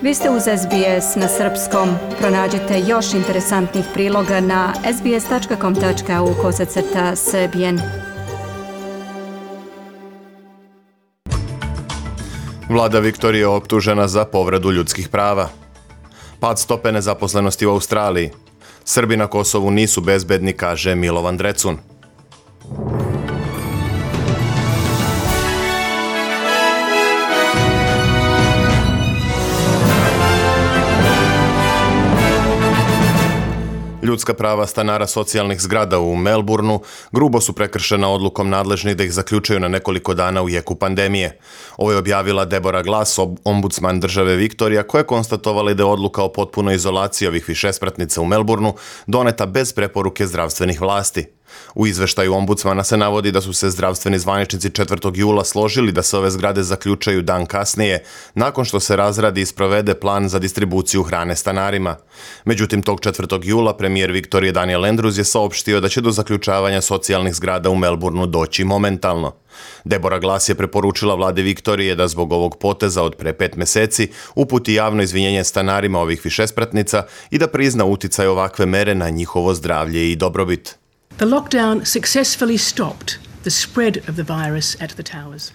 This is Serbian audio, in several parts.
Vi ste uz SBS na srpskom. Pronađite još interesantnih priloga na sbs.com.au/srbijen. Vlada Viktorije je optužena za povredu ljudskih prava. Pad stope nezaposlenosti u Australiji. Srbi na Kosovu nisu bezbedni, kaže Milovan Drecun. Ljudska prava stanara socijalnih zgrada u Melbourneu grubo su prekršena odlukom nadležnih da ih zaključaju na nekoliko dana u jeku pandemije. Ovo je objavila Deborah Glass, ombudsman države Viktorija, koja je konstatovala da je odluka o potpunoj izolaciji ovih višespratnica u Melbourneu doneta bez preporuke zdravstvenih vlasti. U izveštaju ombudsmana se navodi da su se zdravstveni zvaničnici 4. jula složili da se ove zgrade zaključaju dan kasnije, nakon što se razradi i sprovede plan za distribuciju hrane stanarima. Međutim, tog 4. jula premijer Viktorije Daniel Andrews je saopštio da će do zaključavanja socijalnih zgrada u Melbourneu doći momentalno. Deborah Glass je preporučila vladi Viktorije da zbog ovog poteza od pre 5 meseci uputi javno izvinjenje stanarima ovih višespratnica i da prizna uticaj ovakve mere na njihovo zdravlje i dobrobit. The lockdown successfully stopped the spread of the virus at the towers.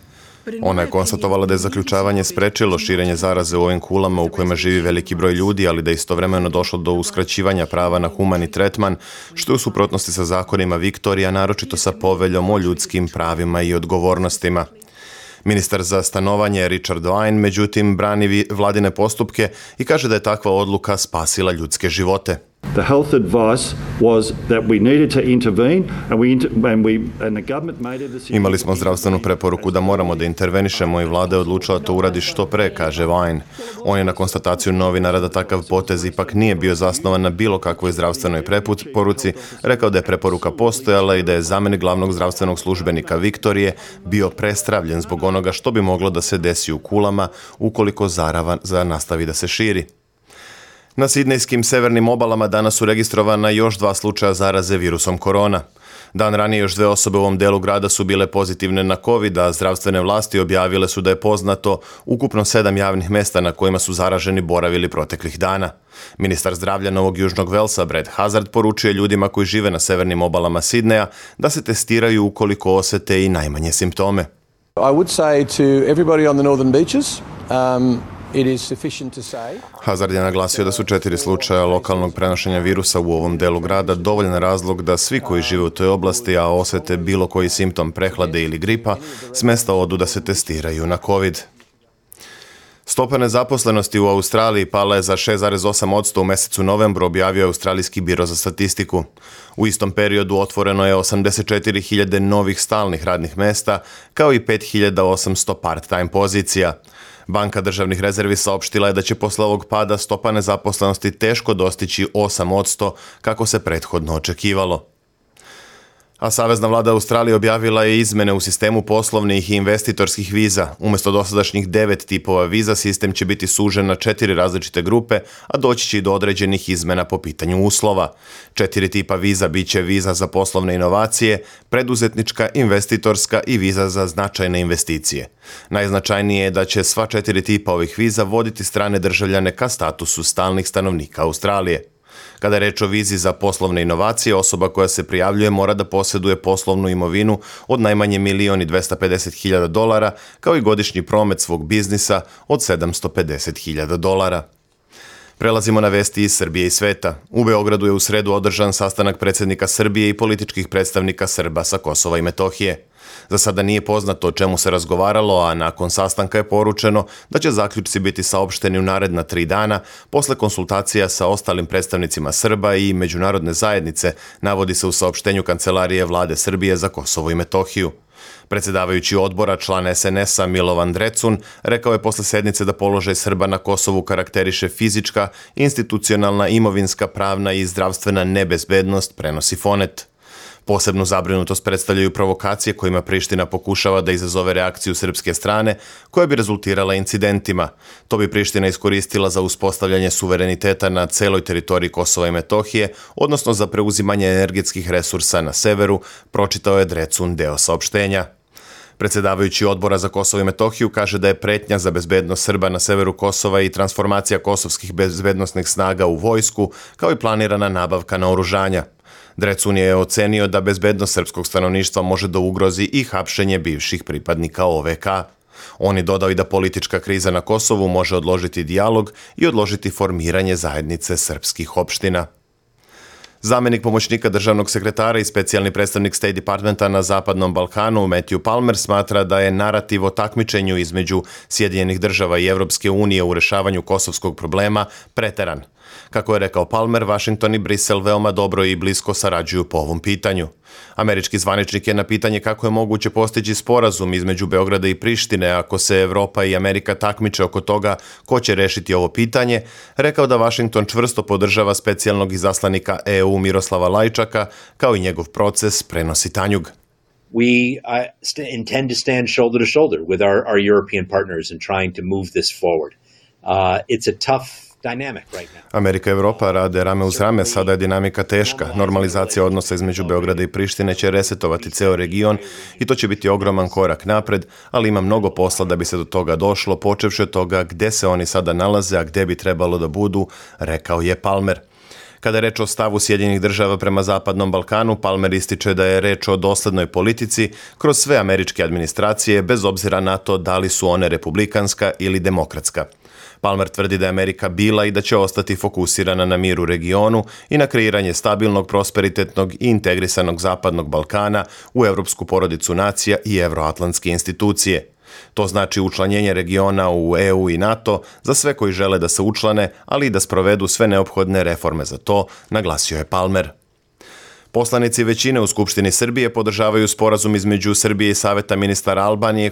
Ona je konstatovala da je zaključavanje sprečilo širenje zaraze u ovim kulama u kojima živi veliki broj ljudi, ali da je istovremeno došlo do uskraćivanja prava na humani tretman, što je u suprotnosti sa zakonima Viktorija, naročito sa poveljom o ljudskim pravima i odgovornostima. Ministar za stanovanje Richard Wine, međutim, brani vladine postupke i kaže da je takva odluka spasila ljudske živote. The health advice was that we needed to intervene and the government made a decision. Imali smo zdravstvenu preporuku da moramo da intervenišemo i vlada je odlučila to uradi što pre, kaže Wine. On je na konstataciju novinara da takav potez ipak nije bio zasnovan na bilo kakvoj zdravstvenoj preporuci rekao da je preporuka postojala i da je zamenik glavnog zdravstvenog službenika Viktorije bio prestravljen zbog onoga što bi moglo da se desi u kulama ukoliko zaraza nastavi da se širi. Na sidnejskim severnim obalama danas su registrovana još 2 slučaja zaraze virusom korona. Dan ranije još 2 osobe u ovom delu grada su bile pozitivne na COVID, a zdravstvene vlasti objavile su da je poznato ukupno 7 javnih mesta na kojima su zaraženi boravili proteklih dana. Ministar zdravlja Novog Južnog Velsa, Brad Hazard, poručuje ljudima koji žive na severnim obalama Sidneja da se testiraju ukoliko osete i najmanje simptome. I would say to everybody on the northern beaches, Hazard je naglasio da su 4 slučaja lokalnog prenošenja virusa u ovom delu grada dovoljan razlog da svi koji žive u toj oblasti, a osete bilo koji simptom prehlade ili gripa, s mesta odu da se testiraju na COVID. Stopa nezaposlenosti u Australiji pala je za 6,8% u mesecu novembru, objavio je Australijski biro za statistiku. U istom periodu otvoreno je 84.000 novih stalnih radnih mesta, kao i 5.800 part-time pozicija. Banka državnih rezervi saopštila je da će posle ovog pada stopa nezaposlenosti teško dostići 8%, kako se prethodno očekivalo. A Savezna vlada Australije objavila je izmene u sistemu poslovnih i investitorskih viza. Umjesto dosadašnjih 9 tipova viza, sistem će biti sužen na 4 različite grupe, a doći će i do određenih izmena po pitanju uslova. 4 tipa viza bit će viza za poslovne inovacije, preduzetnička, investitorska i viza za značajne investicije. Najznačajnije je da će sva 4 tipa ovih viza voditi strane državljane ka statusu stalnih stanovnika Australije. Kada je reč o vizi za poslovne inovacije, osoba koja se prijavljuje mora da posjeduje poslovnu imovinu od najmanje $1.250.000, kao i godišnji promet svog biznisa od $750.000. Prelazimo na vesti iz Srbije i sveta. U Beogradu je u sredu održan sastanak predsjednika Srbije i političkih predstavnika Srba sa Kosova i Metohije. Za sada nije poznato o čemu se razgovaralo, a nakon sastanka je poručeno da će zaključci biti saopšteni u naredna 3 dana posle konsultacija sa ostalim predstavnicima Srba i međunarodne zajednice, navodi se u saopštenju Kancelarije vlade Srbije za Kosovo i Metohiju. Predsjedavajući odbora, član SNS-a Milovan Drecun, rekao je posle sednice da položaj Srba na Kosovu karakteriše fizička, institucionalna, imovinska, pravna i zdravstvena nebezbednost, prenosi Fonet. Posebnu zabrinutost predstavljaju provokacije kojima Priština pokušava da izazove reakciju srpske strane, koja bi rezultirala incidentima. To bi Priština iskoristila za uspostavljanje suvereniteta na celoj teritoriji Kosova i Metohije, odnosno za preuzimanje energetskih resursa na severu, pročitao je Drecun deo saopštenja. Predsjedavajući Odbora za Kosovo i Metohiju kaže da je pretnja za bezbednost Srba na severu Kosova i transformacija kosovskih bezbednosnih snaga u vojsku, kao i planirana nabavka naoružanja. Drecun je ocenio da bezbednost srpskog stanovništva može da ugrozi i hapšenje bivših pripadnika OVK. On je dodao i da politička kriza na Kosovu može odložiti dijalog i odložiti formiranje zajednice srpskih opština. Zamenik pomoćnika državnog sekretara i specijalni predstavnik State Departmenta na Zapadnom Balkanu Matthew Palmer smatra da je narativ o takmičenju između Sjedinjenih država i Evropske unije u rešavanju kosovskog problema preteran. Kako je rekao Palmer, Washington i Brisel veoma dobro i blisko sarađuju po ovom pitanju. Američki zvaničnik je na pitanje kako je moguće postići sporazum između Beograda i Prištine ako se Evropa i Amerika takmiče oko toga ko će rešiti ovo pitanje, rekao da Washington čvrsto podržava specijalnog izaslanika EU Miroslava Lajčaka, kao i njegov proces, prenosi Tanjug. We intend to stand shoulder to shoulder with our European partners in trying to move this forward. It's a tough dynamic right now. Amerika i Evropa rade rame uz rame, sada je dinamika teška. Normalizacija odnosa između Beograda i Prištine će resetovati ceo region i to će biti ogroman korak napred, ali ima mnogo posla da bi se do toga došlo, počevši od toga gde se oni sada nalaze, a gde bi trebalo da budu, rekao je Palmer. Kada je reč o stavu Sjedinjenih država prema Zapadnom Balkanu, Palmer ističe da je reč o doslednoj politici kroz sve američke administracije, bez obzira na to da li su one republikanska ili demokratska. Palmer tvrdi da je Amerika bila i da će ostati fokusirana na mir u regionu i na kreiranje stabilnog, prosperitetnog i integrisanog Zapadnog Balkana u evropsku porodicu nacija i evroatlantske institucije. To znači učlanjenje regiona u EU i NATO za sve koji žele da se učlane, ali i da sprovedu sve neophodne reforme za to, naglasio je Palmer. Poslanici većine u Skupštini Srbije podržavaju sporazum između Srbije i Saveta ministara Albanije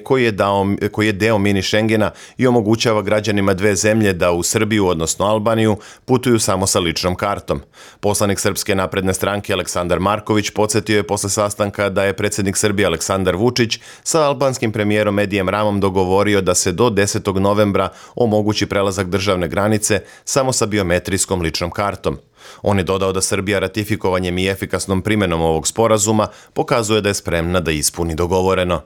koji je deo mini Šengena i omogućava građanima dve zemlje da u Srbiju, odnosno Albaniju, putuju samo sa ličnom kartom. Poslanik Srpske napredne stranke Aleksandar Marković podsjetio je posle sastanka da je predsjednik Srbije Aleksandar Vučić sa albanskim premijerom Edijem Ramom dogovorio da se do 10. novembra omogući prelazak državne granice samo sa biometrijskom ličnom kartom. On je dodao da Srbija ratifikovanjem i efikasnom primjenom ovog sporazuma pokazuje da je spremna da ispuni dogovoreno.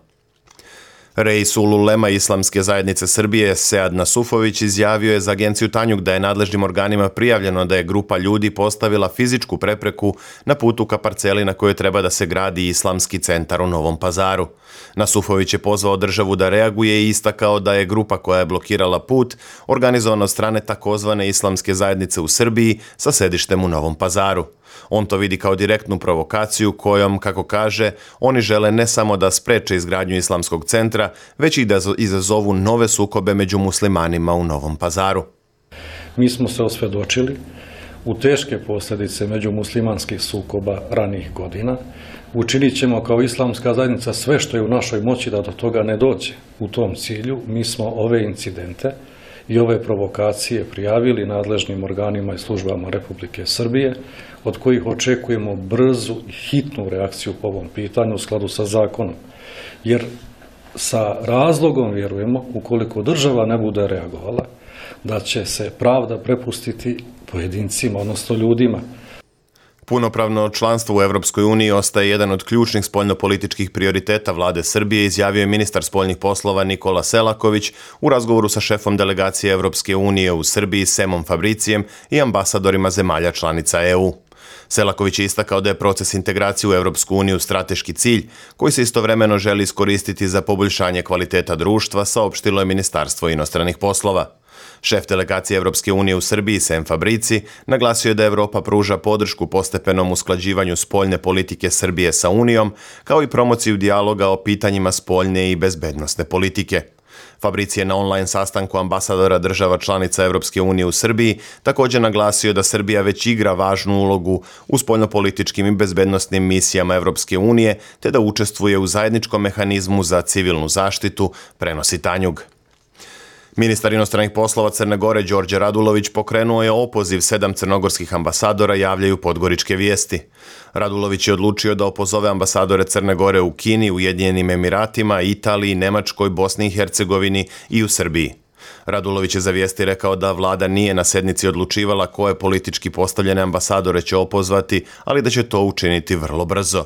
Reis ululema Islamske zajednice Srbije Sead Nasufović izjavio je za agenciju Tanjug da je nadležnim organima prijavljeno da je grupa ljudi postavila fizičku prepreku na putu ka parceli na kojoj treba da se gradi Islamski centar u Novom Pazaru. Nasufović je pozvao državu da reaguje i istakao da je grupa koja je blokirala put organizovana od strane takozvane Islamske zajednice u Srbiji sa sedištem u Novom Pazaru. On to vidi kao direktnu provokaciju kojom, kako kaže, oni žele ne samo da spreče izgradnju Islamskog centra, već i da izazovu nove sukobe među muslimanima u Novom Pazaru. Mi smo se osvjedočili u teške posljedice međumuslimanskih sukoba ranijih godina. Učinit ćemo kao Islamska zajednica sve što je u našoj moći da do toga ne dođe. U tom cilju mi smo ove incidente i ove provokacije prijavili nadležnim organima i službama Republike Srbije, od kojih očekujemo brzu i hitnu reakciju po ovom pitanju u skladu sa zakonom. Jer sa razlogom vjerujemo, ukoliko država ne bude reagovala, da će se pravda prepustiti pojedincima, odnosno ljudima. Punopravno članstvo u Evropskoj uniji ostaje jedan od ključnih spoljnopolitičkih prioriteta vlade Srbije, izjavio je ministar spoljnih poslova Nikola Selaković u razgovoru sa šefom delegacije Evropske unije u Srbiji Semom Fabricijem i ambasadorima zemalja članica EU. Selaković je istakao da je proces integracije u Evropsku uniju strateški cilj koji se istovremeno želi iskoristiti za poboljšanje kvaliteta društva, saopštilo je Ministarstvo inostranih poslova. Šef delegacije Evropske unije u Srbiji, Sem Fabrici, naglasio je da Evropa pruža podršku postepenom usklađivanju spoljne politike Srbije sa Unijom, kao i promociju dijaloga o pitanjima spoljne i bezbednosne politike. Fabrici je na online sastanku ambasadora država članica Evropske unije u Srbiji također naglasio da Srbija već igra važnu ulogu u spoljnopolitičkim i bezbednosnim misijama Evropske unije, te da učestvuje u zajedničkom mehanizmu za civilnu zaštitu, prenosi Tanjug. Ministar inostranih poslova Crne Gore Đorđe Radulović pokrenuo je opoziv 7 crnogorskih ambasadora, javljaju Podgoričke vijesti. Radulović je odlučio da opozove ambasadore Crne Gore u Kini, Ujedinjenim Emiratima, Italiji, Nemačkoj, Bosni i Hercegovini i u Srbiji. Radulović je za vijesti rekao da vlada nije na sednici odlučivala koje politički postavljene ambasadore će opozvati, ali da će to učiniti vrlo brzo.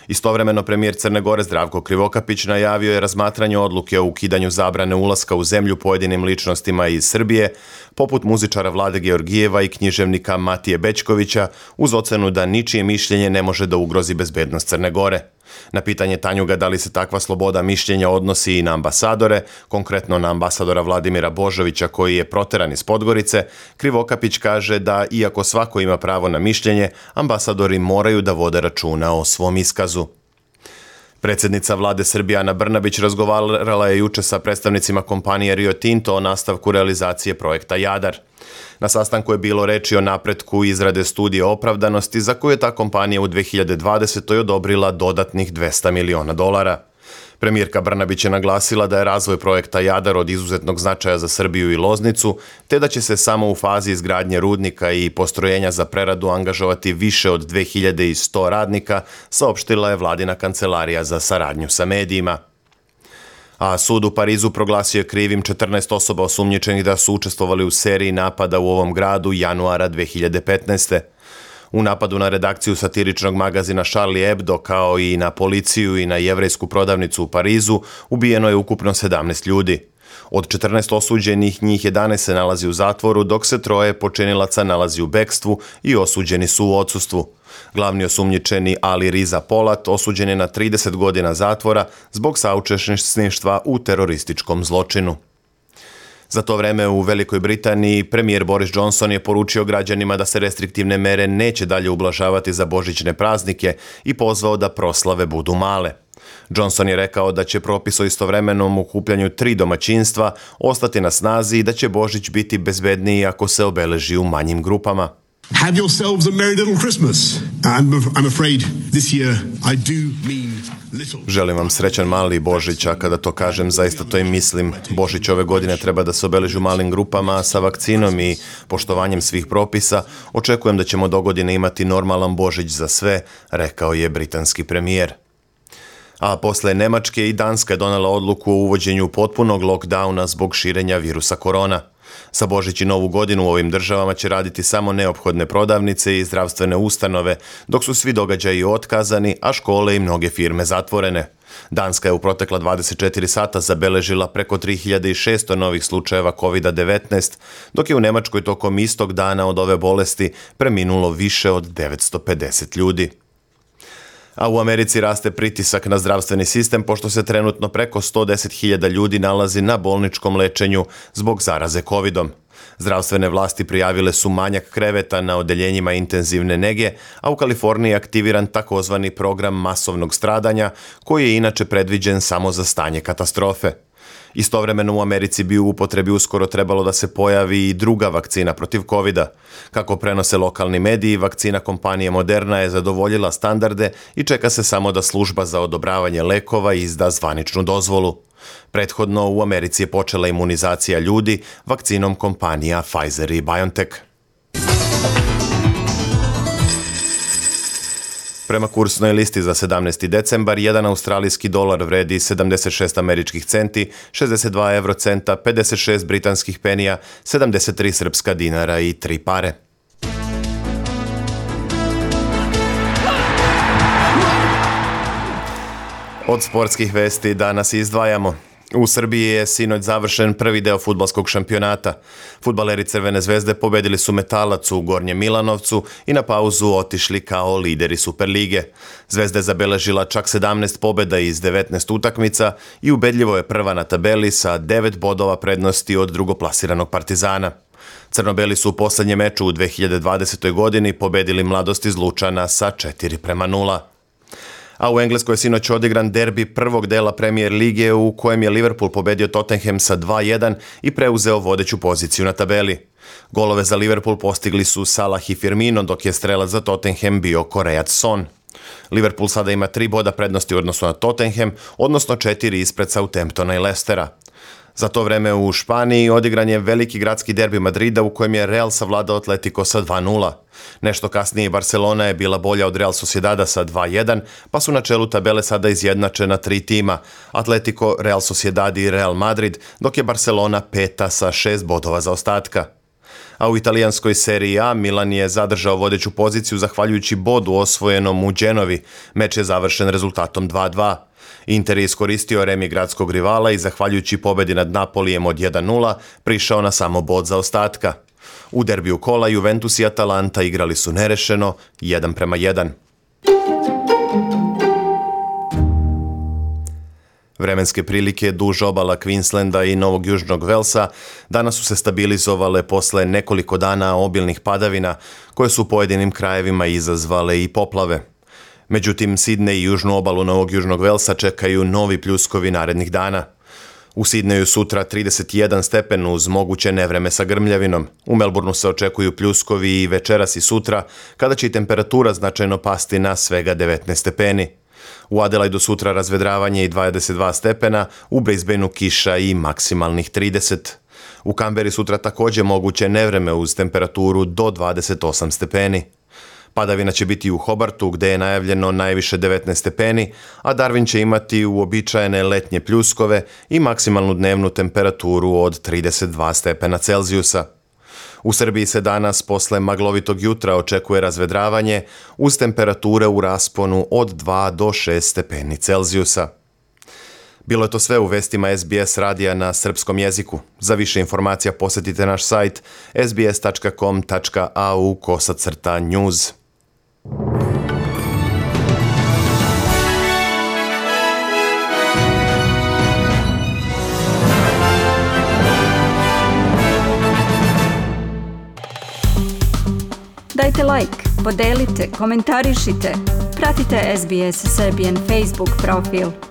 Istovremeno premijer Crne Gore Zdravko Krivokapić najavio je razmatranje odluke o ukidanju zabrane ulaska u zemlju pojedinim ličnostima iz Srbije, poput muzičara Vlade Georgijeva i književnika Matije Bećkovića, uz ocenu da ničije mišljenje ne može da ugrozi bezbednost Crne Gore. Na pitanje Tanjuga da li se takva sloboda mišljenja odnosi i na ambasadore, konkretno na ambasadora Vladimira Božovića koji je proteran iz Podgorice, Krivokapić kaže da iako svako ima pravo na mišljenje, ambasadori moraju da vode računa o svom iskazu. Predsjednica vlade Srbije Ana Brnabić razgovarala je juče sa predstavnicima kompanije Rio Tinto o nastavku realizacije projekta Jadar. Na sastanku je bilo reči o napretku izrade studije opravdanosti za koju je ta kompanija u 2020. odobrila dodatnih $200 miliona. Premijerka Brnabić je naglasila da je razvoj projekta Jadar od izuzetnog značaja za Srbiju i Loznicu, te da će se samo u fazi izgradnje rudnika i postrojenja za preradu angažovati više od 2100 radnika, saopštila je vladina kancelarija za saradnju sa medijima. A sud u Parizu proglasio je krivim 14 osoba osumnjičenih da su učestvovali u seriji napada u ovom gradu januara 2015. U napadu na redakciju satiričnog magazina Charlie Hebdo, kao i na policiju i na jevrejsku prodavnicu u Parizu, ubijeno je ukupno 17 ljudi. Od 14 osuđenih, njih 11 se nalazi u zatvoru, dok se 3 počinilaca nalazi u bekstvu i osuđeni su u odsustvu. Glavni osumnjičeni Ali Riza Polat osuđen je na 30 godina zatvora zbog saučesništva u terorističkom zločinu. Za to vreme u Velikoj Britaniji premijer Boris Johnson je poručio građanima da se restriktivne mere neće dalje ublažavati za božićne praznike i pozvao da proslave budu male. Johnson je rekao da će propis o istovremenom okupljanju 3 domaćinstva ostati na snazi i da će Božić biti bezbedniji ako se obeleži u manjim grupama. Have yourselves a merry little Christmas. I'm afraid this year I do mean little. Želim vam srećan mali Božić, a kada to kažem, zaista to i mislim. Božić ove godine treba da se obeleži u malim grupama, a sa vakcinom i poštovanjem svih propisa očekujem da ćemo dogodine imati normalan Božić za sve, rekao je britanski premijer. A posle Nemačke i Danska je donela odluku o uvođenju potpunog lockdowna zbog širenja virusa korona. Za Božić i Novu godinu u ovim državama će raditi samo neophodne prodavnice i zdravstvene ustanove, dok su svi događaji otkazani, a škole i mnoge firme zatvorene. Danska je u protekla 24 sata zabeležila preko 3600 novih slučajeva COVID-19, dok je u Nemačkoj tokom istog dana od ove bolesti preminulo više od 950 ljudi. A u Americi raste pritisak na zdravstveni sistem pošto se trenutno preko 110.000 ljudi nalazi na bolničkom lečenju zbog zaraze COVID-om. Zdravstvene vlasti prijavile su manjak kreveta na odeljenjima intenzivne nege, a u Kaliforniji je aktiviran takozvani program masovnog stradanja, koji je inače predviđen samo za stanje katastrofe. Istovremeno u Americi bi u upotrebi uskoro trebalo da se pojavi i druga vakcina protiv COVID-a. Kako prenose lokalni mediji, vakcina kompanije Moderna je zadovoljila standarde i čeka se samo da služba za odobravanje lekova izda zvaničnu dozvolu. Prethodno u Americi je počela imunizacija ljudi vakcinom kompanija Pfizer i BioNTech. Prema kursnoj listi za 17. decembar, jedan australijski dolar vredi 76 američkih centi, 62 eurocenta, 56 britanskih penija, 73 srpska dinara i 3 pare. Od sportskih vesti danas izdvajamo. U Srbiji je sinoć završen prvi deo fudbalskog šampionata. Fudbaleri Crvene zvezde pobedili su Metalac u Gornjem Milanovcu i na pauzu otišli kao lideri Superlige. Zvezda je zabeležila čak 17 pobeda iz 19 utakmica i ubedljivo je prva na tabeli sa 9 bodova prednosti od drugoplasiranog Partizana. Crnobeli su u poslednjem meču u 2020. godini pobedili Mladost iz Lučana sa 4:0. A u Engleskoj je sinoć odigran derbi prvog dela Premier lige u kojem je Liverpool pobedio Tottenham sa 2:1 i preuzeo vodeću poziciju na tabeli. Golove za Liverpool postigli su Salah i Firmino, dok je strelac za Tottenham bio Korejac Son. Liverpool sada ima 3 boda prednosti u odnosu na Tottenham, odnosno 4 ispred Southamptona i Leicestera. Za to vreme u Španiji odigran je veliki gradski derbi Madrida u kojem je Real savladao Atletico sa 2:0. Nešto kasnije Barcelona je bila bolja od Real Sociedada sa 2:1, pa su na čelu tabele sada izjednačena 3 tima, Atletico, Real Sociedad i Real Madrid, dok je Barcelona peta sa 6 bodova zaostatka. A u italijanskoj seriji A Milan je zadržao vodeću poziciju zahvaljujući bodu osvojenom u Genovi. Meč je završen rezultatom 2:2. Inter je iskoristio remi gradskog rivala i zahvaljujući pobedi nad Napolijem od 1:0 prišao na samo bod zaostatka. U derbiju kola Juventus i Atalanta igrali su nerešeno 1:1. Vremenske prilike duž obala Queenslanda i Novog Južnog Velsa danas su se stabilizovale posle nekoliko dana obilnih padavina koje su u pojedinim krajevima izazvale i poplave. Međutim, Sidney i južnu obalu Novog Južnog Velsa čekaju novi pljuskovi narednih dana. U Sidneju sutra 31 stepen uz moguće nevreme sa grmljavinom. U Melbourneu se očekuju pljuskovi i večeras i sutra, kada će i temperatura značajno pasti na svega 19 stepeni. U Adelaidu sutra razvedravanje i 22 stepena, u Brisbaneu kiša i maksimalnih 30. U Kamberi sutra također moguće nevreme uz temperaturu do 28 stepeni. Padavina će biti u Hobartu gdje je najavljeno najviše 19 stepeni, a Darwin će imati uobičajene letnje pljuskove i maksimalnu dnevnu temperaturu od 32 stepena Celzijusa. U Srbiji se danas posle maglovitog jutra očekuje razvedravanje uz temperature u rasponu od 2 do 6 stepeni Celzijusa. Bilo je to sve u vestima SBS radija na srpskom jeziku. Za više informacija posjetite naš sajt sbs.com.au/news. Dajte like, podelite, komentarišite. Pratite SBS Serbian Facebook profil.